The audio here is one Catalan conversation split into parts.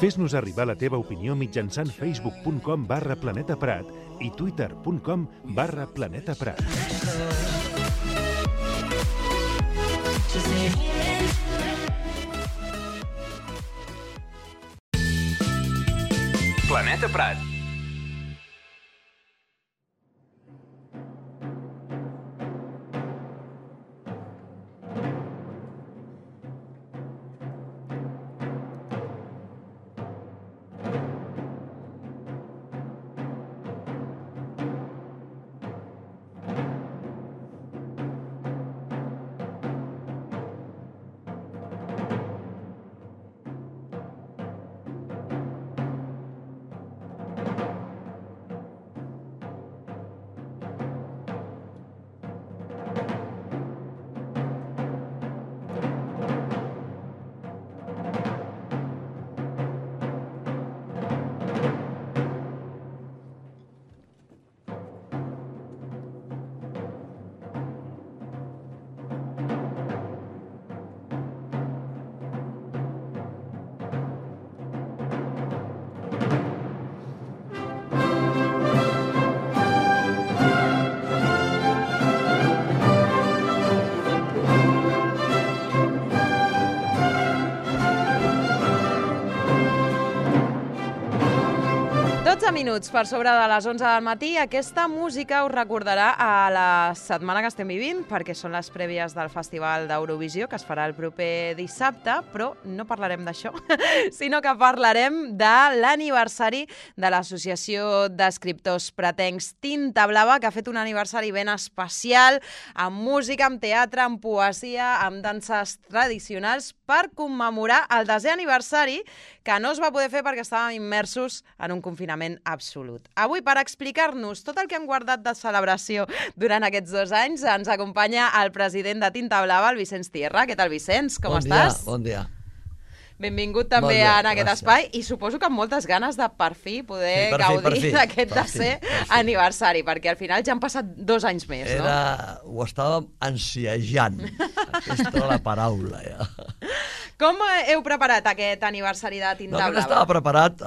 Fes-nos arribar la teva opinió mitjançant facebook.com/planetaprat i twitter.com/planetaprat. Planeta Prat. Minuts per sobre de les 11 del matí. Aquesta música us recordarà a la setmana que estem vivint, perquè són les prèvies del Festival d'Eurovisió, que es farà el proper dissabte, però no parlarem d'això, sinó que parlarem de l'aniversari de l'Associació d'Escriptors Pratencs Tinta Blava, que ha fet un aniversari ben especial, amb música, amb teatre, amb poesia, amb danses tradicionals, per commemorar el 10è aniversari, que no es va poder fer perquè estàvem immersos en un confinament absolut. Avui, per explicar-nos tot el que hem guardat de celebració durant aquests 2 anys, ens acompanya el president de Tinta Blava, el Vicenç Tierra. Què tal, Vicenç? Com estàs? Bon dia. Benvingut també en aquest espai i suposo que amb moltes ganes de per fi poder gaudir d'aquest 10è aniversari, perquè al final ja han passat 2 anys més, no? Ho estàvem ansiejant. Aquesta era la paraula, ja. Com heu preparat aquest aniversari de Tinta Blava? Estava preparat,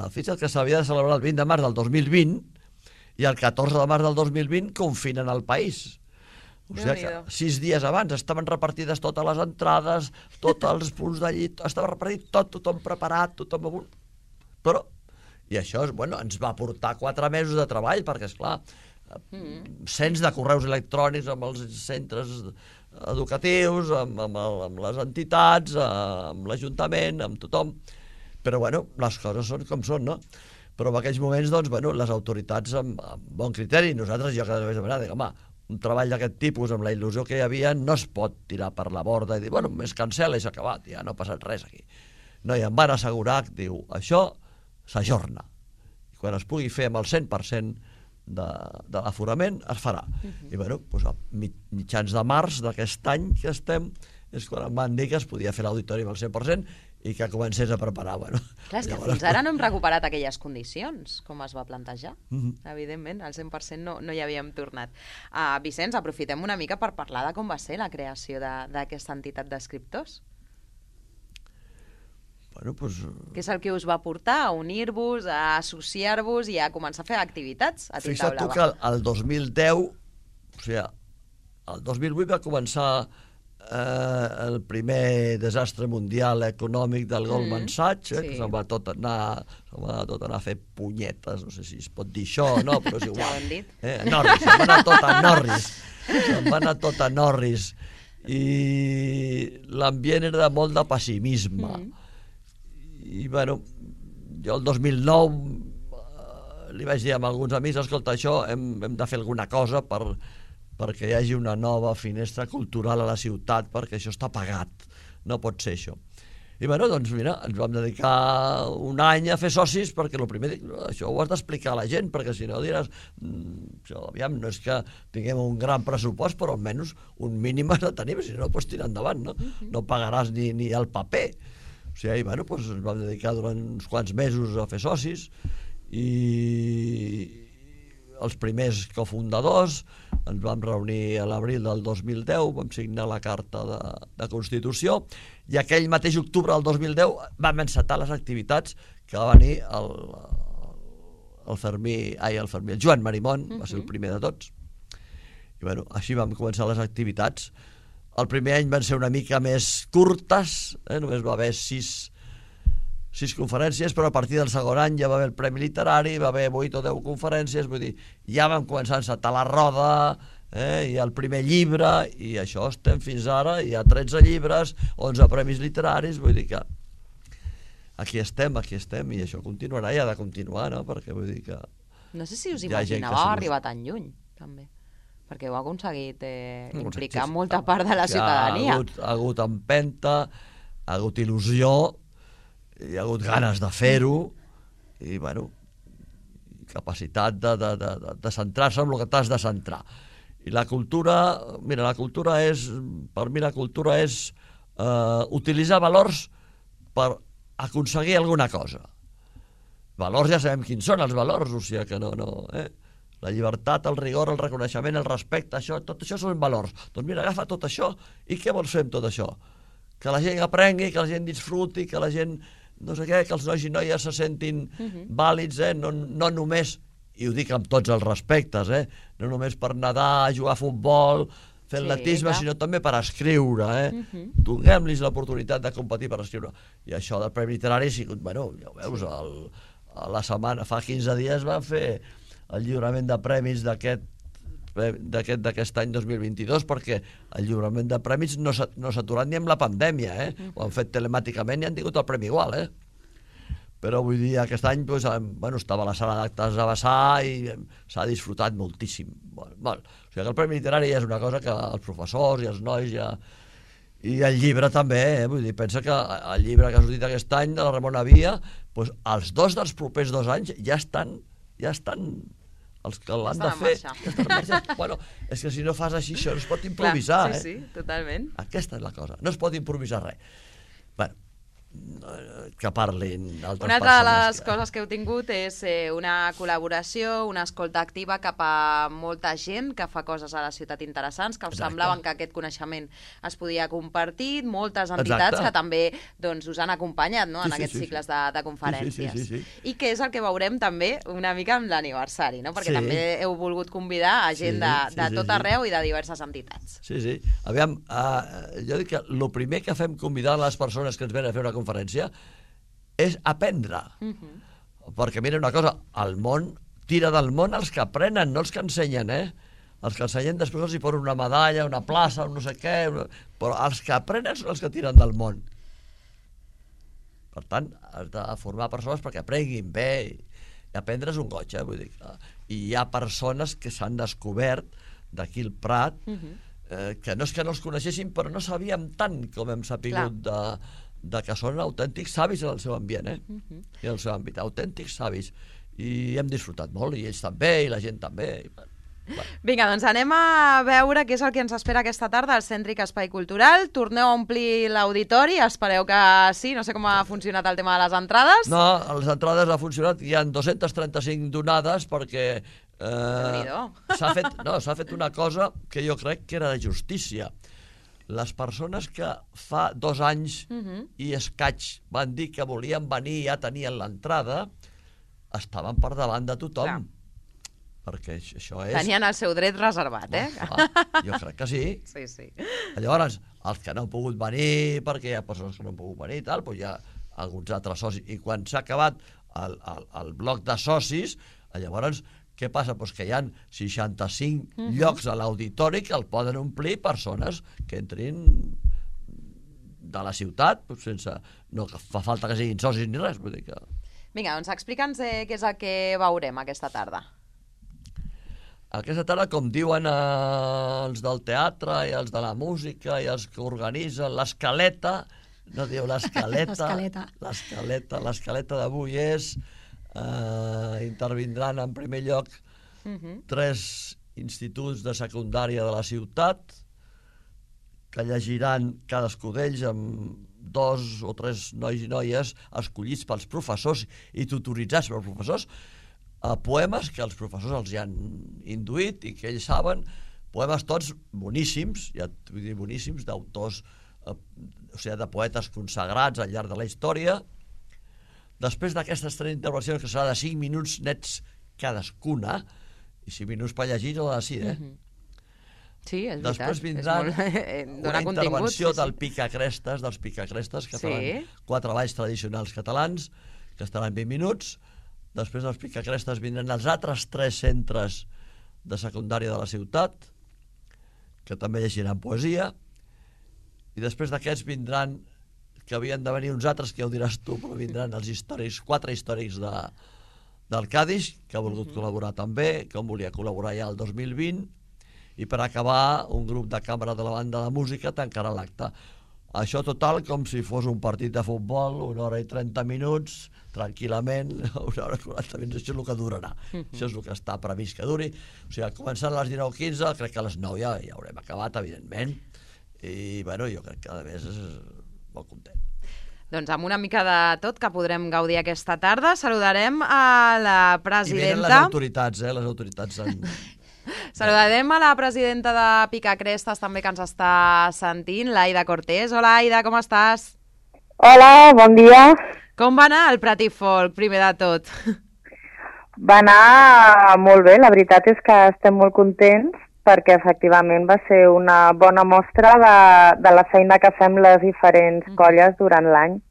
fixa't que s'havia de celebrar el 20 de març del 2020 i el 14 de març del 2020 confinen el país. O sigui que 6 dies abans estaven repartides totes les entrades, tots els punts de llit, estava repartit tot, tothom preparat, tothom... Però, i això ens va portar 4 mesos de treball, perquè, esclar, cents de correus electrònics amb els centres educatius, amb les entitats, amb l'Ajuntament, amb tothom. Però, les coses són com són, no? Però en aquells moments, les autoritats amb bon criteri, nosaltres, jo cada vegada dic, home, un treball d'aquest tipus, amb la il·lusió que hi havia, no es pot tirar per la borda i dir, es cancel·la i s'ha acabat, ja no ha passat res aquí. No, i em van assegurar que, diu, això s'ajorna. I quan es pugui fer amb el 100% de l'aforament, es farà. I, a mitjans de març d'aquest any que estem, és quan em van dir que es podia fer l'auditori amb el 100% i que comencés a preparar. Clar, és que fins ara no hem recuperat aquelles condicions, com es va plantejar. Evidentment, al 100% no hi havíem tornat. Vicenç, aprofitem una mica per parlar de com va ser la creació d'aquesta entitat d'escriptors. Què és el que us va portar a unir-vos, a associar-vos i a començar a fer activitats a Tinta Blava? Fixa't tu que el 2010, o sigui, el 2008 va començar el primer desastre mundial econòmic del Goldman Sachs, que se'n va tot anar a fer punyetes, no sé si es pot dir això o no, però és igual. Ja ho hem dit. Norris, se'n va anar tot a Norris. Se'n va anar tot a Norris. I l'ambient era de molt de pessimisme. I, jo el 2009 li vaig dir a alguns amics, escolta, això hem de fer alguna cosa perquè hi hagi una nova finestra cultural a la ciutat, perquè això està pagat, no pot ser això. I ens vam dedicar un any a fer socis, perquè el primer, això ho has d'explicar a la gent, perquè si no diràs, aviam, no és que tinguem un gran pressupost, però almenys un mínim has de tenir, si no pots tirar endavant, no pagaràs ni el paper. O sigui, ens vam dedicar durant uns quants mesos a fer socis, i els primers cofundadors, ens vam reunir a l'abril del 2010, vam signar la carta de Constitució, i aquell mateix octubre del 2010 vam encetar les activitats que va venir el Joan Marimón, va ser el primer de tots. I bueno, així vam començar les activitats. El primer any van ser una mica més curtes, només va haver 6 conferències, però a partir del segon any ja va haver el Premi Literari, va haver 8 o 10 conferències, vull dir, ja vam començar a encetar la roda, i el primer llibre, i això estem fins ara, hi ha 13 llibres, 11 premis literaris, vull dir que aquí estem, i això continuarà, i ha de continuar, no? Perquè vull dir que... No sé si us imaginàveu arribar tan lluny, també, perquè heu aconseguit implicar molta part de la ciutadania. Ha hagut empenta, ha hagut il·lusió, hi ha hagut ganes de fer-ho, i bueno, capacitat de centrar-se en el que t'has de centrar. I la cultura, mira, per mi la cultura és utilitzar valors per aconseguir alguna cosa. Valors ja sabem quins són els valors, o sigui que no. La llibertat, el rigor, el reconeixement, el respecte, tot això són valors. Doncs mira, agafa tot això, i què vols fer amb tot això? Que la gent aprengui, que la gent disfruti, que la gent, no sé què, que els nois i noies se sentin vàlids, no només, i ho dic amb tots els respectes, no només per nedar, jugar a futbol, fer atletisme, sinó també per escriure. Donem-los l'oportunitat de competir per escriure. I això del Premi Literari ha sigut, bueno, ja ho veus, a la setmana, fa 15 dies van fer el lliurament de premis d'aquest any 2022, perquè el lliurament de premis no s'ha aturat ni amb la pandèmia, ho han fet telemàticament i han tingut el premi igual, però vull dir, aquest any estava a la sala d'actes de Bassà i s'ha disfrutat moltíssim, molt. O sigui que el Premi Literari és una cosa que els professors i els nois i el llibre també, vull dir, pensa que el llibre que ha sortit aquest any de la Ramona Via, els 2 dels propers 2 anys ja estan els que l'han de fer. Bueno, és que si no fas així, això no es pot improvisar. Sí, totalment. Aquesta és la cosa, no es pot improvisar res. Bueno, que parlin altres persones. Una altra de les coses que heu tingut és una col·laboració, una escolta activa cap a molta gent que fa coses a la ciutat interessants, que us semblaven que aquest coneixement es podia compartir, moltes entitats que també us han acompanyat en aquests cicles de conferències. I que és el que veurem també una mica amb l'aniversari, perquè també heu volgut convidar a gent de tot arreu i de diverses entitats. Sí. Aviam, jo dic que el primer que fem convidar les persones que ens venen a fer una conferència és aprendre, perquè mira una cosa, el món tira del món els que aprenen, no els que ensenyen, els que ensenyen després els hi posen una medalla, una plaça, no sé què, però els que aprenen són els que tiren del món. Per tant, has de formar persones perquè aprenguin bé, i aprendre és un goig, vull dir, i hi ha persones que s'han descobert d'aquí al Prat, que no és que no els coneixéssim, però no sabíem tant com hem sapigut de que són autèntics savis en el seu ambient, i en el seu àmbit, autèntics savis, i hem disfrutat molt, i ells també, i la gent també. Vinga, doncs anem a veure què és el que ens espera aquesta tarda al Cèntric Espai Cultural. Torneu a omplir l'auditori, espereu que sí, no sé com ha funcionat el tema de les entrades. No, les entrades ha funcionat, hi ha 235 donades perquè s'ha fet una cosa que jo crec que era de justícia. Les persones que fa 2 anys i escaig van dir que volien venir i ja tenien l'entrada, estaven per davant de tothom. Perquè això és... Tenien el seu dret reservat, Jo crec que sí. Sí. Llavors, els que no han pogut venir, perquè hi ha persones que no han pogut venir i tal, doncs hi ha alguns altres socis. I quan s'ha acabat el bloc de socis, llavors... Què passa? Doncs que hi ha 65 llocs a l'auditori que el poden omplir persones que entrin de la ciutat, sense... No fa falta que siguin socis ni res. Vull dir que... Vinga, doncs explica'ns què és el que veurem aquesta tarda. Aquesta tarda, com diuen els del teatre i els de la música i els que organitzen l'escaleta, no diu l'escaleta, l'escaleta d'avui és... intervindran en primer lloc 3 instituts de secundària de la ciutat que llegiran cadascú d'ells amb 2 o 3 nois i noies escollits pels professors i tutoritzats pels professors poemes que els professors els hi han induït i que ells saben, poemes tots boníssims, ja vull dir boníssims, d'autors, o sigui, de poetes consagrats al llarg de la història. Després d'aquestes 3 intervencions, que serà de 5 minuts nets cadascuna, i 5 minuts per llegir, no de 6, Sí, és veritat. Després vindrà una intervenció del Picacrestes, dels Picacrestes, que faran 4 balls tradicionals catalans, que estaran 20 minuts. Després dels Picacrestes vindran els altres 3 centres de secundària de la ciutat, que també llegiran poesia, i després d'aquests vindran, que havien de venir uns altres, que ja ho diràs tu, però vindran els històrics, 4 històrics del Cadis, que ha volgut col·laborar també, que volia col·laborar ja el 2020, i per acabar, un grup de càmera de la banda de música tancarà l'acte. Això total com si fos un partit de futbol, 1 hora i 30 minuts, tranquil·lament, 1 hora i 40 minuts, això és el que durarà. Això és el que està previst que duri. O sigui, començant a les 19:15, crec que a les 9 ja haurem acabat, evidentment, i bueno, jo crec que a més és molt content. Doncs amb una mica de tot que podrem gaudir aquesta tarda, saludarem a la presidenta... I venen les autoritats, les autoritats en... Saludarem a la presidenta de Picacrestes també que ens està sentint, l'Aida Cortés. Hola, Aida, com estàs? Hola, bon dia. Com va anar el Prat i Folk, primer de tot? Va anar molt bé, la veritat és que estem molt contents perquè efectivament va ser una bona mostra de la feina que fem les diferents colles durant l'any.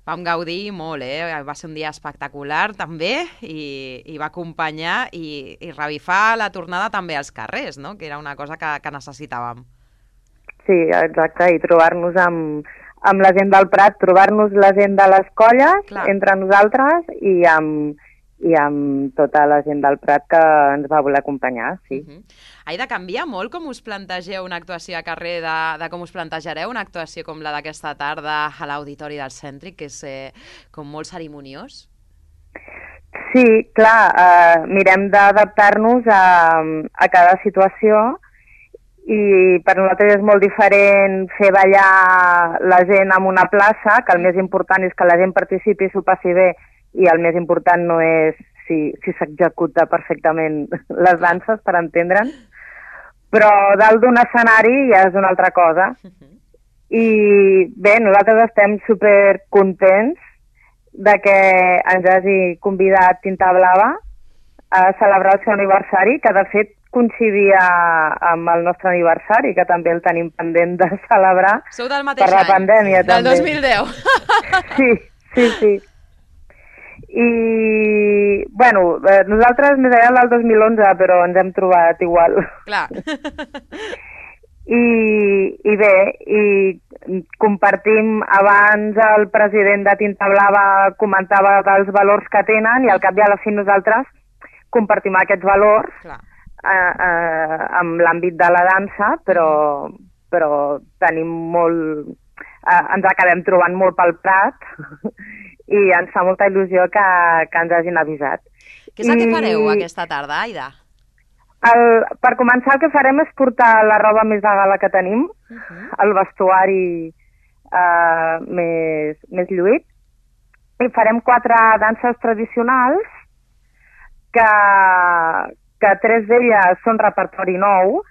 Vam gaudir molt, va ser un dia espectacular també i va acompanyar i revifar la tornada també als carrers, no? Que era una cosa que necessitàvem. Sí, exacte, i trobar-nos amb la gent del Prat, trobar-nos la gent de les colles entre nosaltres i amb tota la gent del Prat que ens va voler acompanyar, sí. Aida, canvia molt com us plantegeu una actuació a carrer de com us plantejareu una actuació com la d'aquesta tarda a l'Auditori del Cèntric, que és com molt cerimoniós? Sí, clar, mirem d'adaptar-nos a cada situació i per nosaltres és molt diferent fer ballar la gent en una plaça, que el més important és que la gent participi i s'ho passi bé, i el més important no és si s'executa perfectament les danses, per entendre'ns, però dalt d'un escenari ja és una altra cosa. I bé, nosaltres estem supercontents de que ens hagi convidat Tinta Blava a celebrar el seu aniversari, que de fet coincidia amb el nostre aniversari, que també el tenim pendent de celebrar. Sou del mateix per la pandèmia, any, del també. 2010. Sí. I, bueno, nosaltres més enllà del 2011, però ens hem trobat igual. Clar. I bé, compartim, abans el president de Tinta Blava comentava dels valors que tenen i al cap i a la fi nosaltres compartim aquests valors amb l'àmbit de la dansa, però tenim molt... ens acabem trobant molt pel Prat i ens fa molta il·lusió que ens hagin avisat. Què és el que fareu aquesta tarda, Aida? Per començar, el que farem és portar la roba més de gala que tenim, el vestuari més lluït, i farem 4 danses tradicionals, que 3 d'elles són repertori nou,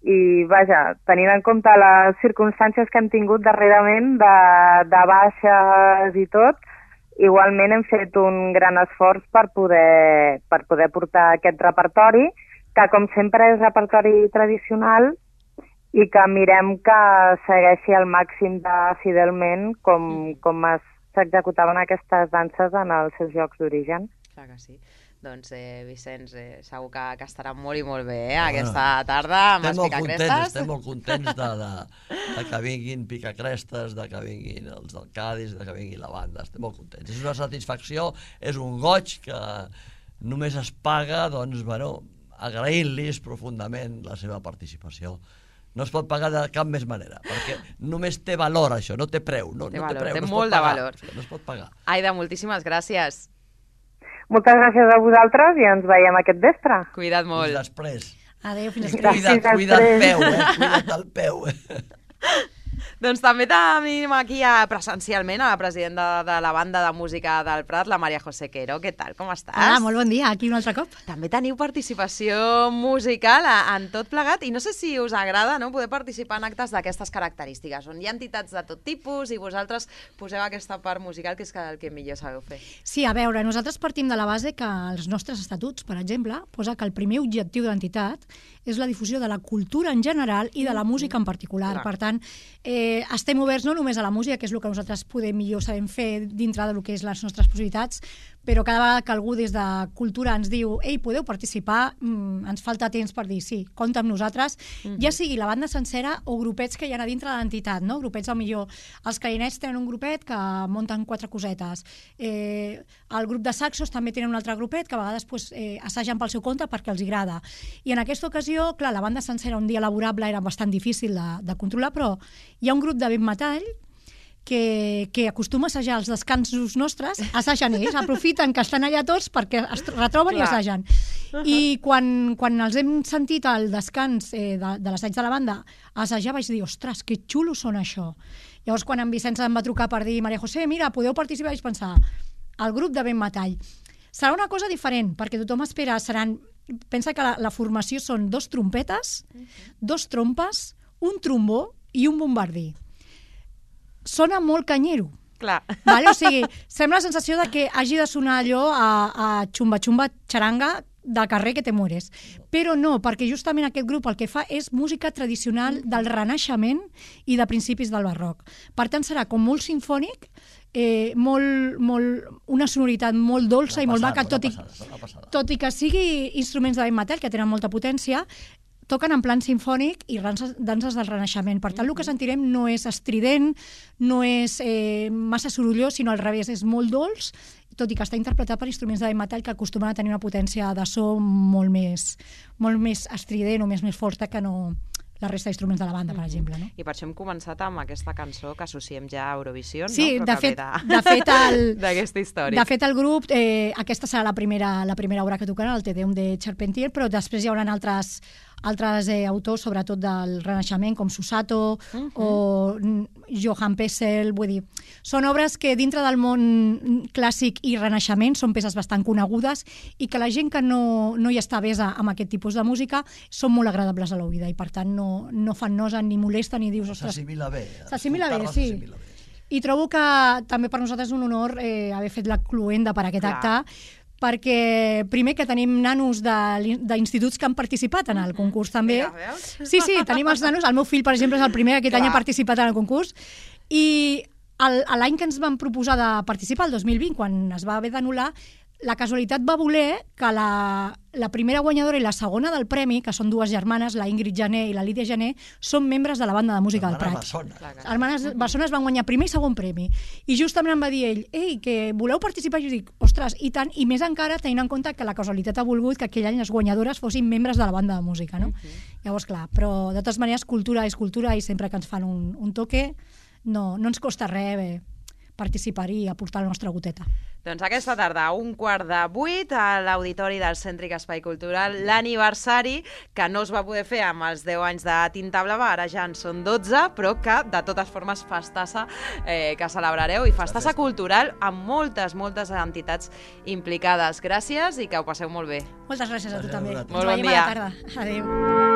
i vaja, tenint en compte les circumstàncies que hem tingut darrerament de baixes i tot, igualment hem fet un gran esforç per poder portar aquest repertori, que com sempre és repertori tradicional i que mirem que segueixi al màxim de fidelment com s'executaven aquestes danses en els seus llocs d'origen. Clar que sí. Doncs, Vicenç, segur que estarà molt i molt bé aquesta tarda amb els Picacrestes. Estem molt contents de que vinguin Picacrestes, de que vinguin els del Cadis, de que vingui la banda. Estem molt contents. És una satisfacció, és un goig que només es paga, doncs, bueno, agraint-los profundament la seva participació. No es pot pagar de cap més manera, perquè només té valor això, no té preu. Té valor, té molt de valor. No es pot pagar. Aida, moltíssimes gràcies. Moltes gràcies a vosaltres i ens veiem aquest vespre. Cuida't molt. Fins després. Adéu, fins després. Cuida't el peu, Cuida't el peu. Doncs també tenim aquí presencialment a la presidenta de la banda de música del Prat, la Maria José Quero. Què tal, com estàs? Hola, molt bon dia, aquí un altre cop. També teniu participació musical en tot plegat i no sé si us agrada, no?, poder participar en actes d'aquestes característiques, on hi ha entitats de tot tipus i vosaltres poseu aquesta part musical que és el que millor sabeu fer. Sí, a veure, nosaltres partim de la base que els nostres estatuts, per exemple, posa que el primer objectiu de l'entitat és la difusió de la cultura en general i de la música en particular. Per tant, estem oberts no només a la música, que és el que nosaltres millor sabem fer dintre del que és les nostres possibilitats, però cada vegada que algú des de cultura ens diu «Ei, podeu participar?», ens falta temps per dir «Sí, compta amb nosaltres», ja sigui la banda sencera o grupets que hi ha a dintre de l'entitat, no? Grupets, millor, els clarinets tenen un grupet que munten 4 cosetes, el grup de saxos també tenen un altre grupet que a vegades assagen pel seu compte perquè els agrada. I en aquesta ocasió, clar, la banda sencera un dia laborable era bastant difícil de controlar, però hi ha un grup de vent metall que acostuma a assajar els descansos nostres, assagen ells, aprofiten que estan allà tots perquè es retroben i assagen. I quan els hem sentit al descans de l'assaig de la banda assajar, vaig dir, ostres, que xulos són això. Llavors, quan en Vicenç em va trucar per dir, Maria José, mira, podeu participar, vaig pensar, el grup de vent metall. Serà una cosa diferent, perquè tothom espera, pensa que la formació són 2 trompetes, 2 trompes, un trombó i un bombardí. Sona molt canyero. Clar. Vale? O sigui, sembla la sensació de que hagi de sonar allò a xumba-xumba xaranga del carrer que te mueres. Però no, perquè justament aquest grup el que fa és música tradicional del Renaixement i de principis del Barroc. Per tant, serà com molt sinfònic, una sonoritat molt dolça i molt maca, tot i que sigui instruments de vent metall, que tenen molta potència, toquen en plan sinfònic i danses del Renaixement. Per tant, el que sentirem no és estrident, no és massa sorollós, sinó al revés, és molt dolç, tot i que està interpretat per instruments de vent metall que acostumen a tenir una potència de so molt més estrident o més forta que no la resta d'instruments de la banda, per exemple. No? I per això hem començat amb aquesta cançó que associem ja a Eurovisió, sí, no? de fet, d'aquesta història. De fet, el grup, aquesta serà la primera obra que tocarà, el Te Deum de Charpentier, però després hi haurà altres autors, sobretot del Renaixement, com Susato o Johann Pessel, vull dir, són obres que dintre del món clàssic i Renaixement són peces bastant conegudes i que la gent que no hi està avesa amb aquest tipus de música són molt agradables a l'oïda i per tant no fan nosa ni molesta ni dius... S'assimila bé. S'assimila bé, sí. I trobo que també per nosaltres és un honor haver fet la cluenda per aquest acte, perquè primer que tenim nanos d'instituts que han participat en el concurs també. Sí, tenim els nanos, el meu fill per exemple és el primer que aquest any ha participat en el concurs i l'any que ens van proposar de participar, el 2020, quan es va haver d'anul·lar, la casualitat va voler que la primera guanyadora i la segona del premi, que són 2 germanes, la Ingrid Jané i la Lídia Jané, són membres de la banda de música del Prat. Hermanes Bessones van guanyar primer i segon premi. I justament em va dir ell, ei, que voleu participar? I jo dic, ostres, i tant, i més encara tenint en compte que la casualitat ha volgut que aquell any les guanyadores fossin membres de la banda de música, no? Llavors, clar, però de totes maneres, cultura és cultura i sempre que ens fan un toque no ens costa res participar-hi i aportar la nostra goteta. Doncs aquesta tarda, a 7:15, a l'Auditori del Cèntric Espai Cultural, l'aniversari, que no es va poder fer amb els 10 anys de Tinta Blava, ara ja en són 12, però que, de totes formes, festassa que celebrareu, i festassa cultural amb moltes entitats implicades. Gràcies i que ho passeu molt bé. Moltes gràcies a tu també. Molt bon dia. Ens veiem a la tarda. Adéu.